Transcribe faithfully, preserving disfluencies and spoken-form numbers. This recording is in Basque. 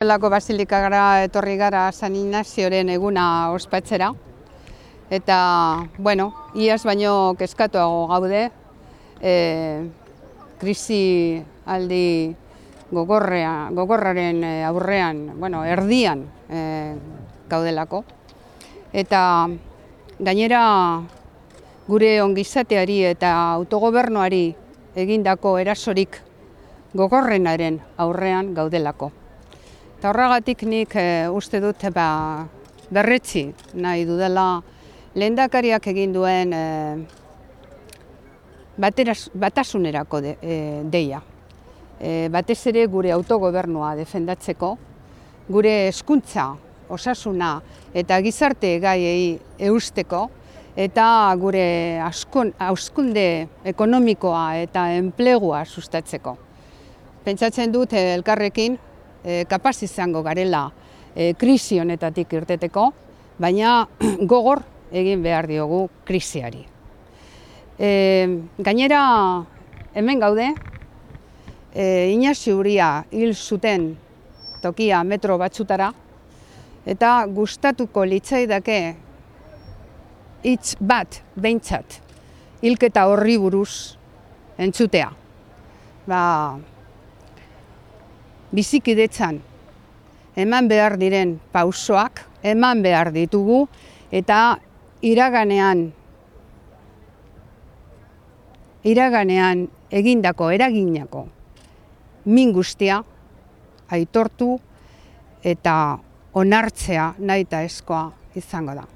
Lako Basilikara etorri gara San Ignazioren eguna ospatzera. Eta, bueno, iaz baino kezkatuago gaude, e, krisi aldi gogorrea, gogorraren aurrean, bueno, erdian e, gaudelako. Eta gainera gure ongizateari eta autogobernuari egindako erasorik gogorrenaren aurrean gaudelako. Eta horregatik nik e, uste dut ba, berretsi nahi dudala lehendakariak egin duen e, bateraz, batasunerako de, e, deia. E, batez ere gure autogobernua defendatzeko, gure hezkuntza, osasuna eta gizarte gaiei eusteko, eta gure hazkunde ekonomikoa eta enplegua sustatzeko. Pentsatzen dut elkarrekin E, kapaz izango garela e, krisi honetatik irteteko, baina gogor egin behar diogu krisiari. E, gainera hemen gaude, e, Inazio Uria hil zuten tokia metro batzutara, eta gustatuko litzaidake hitz bat behintzat hilketa horri buruz entzutea. Ba, bizikidetzan eman behar diren pausoak, eman behar ditugu, eta iraganean, iraganean egindako, eraginako min guztia aitortu eta onartzea nahitaezkoa izango da.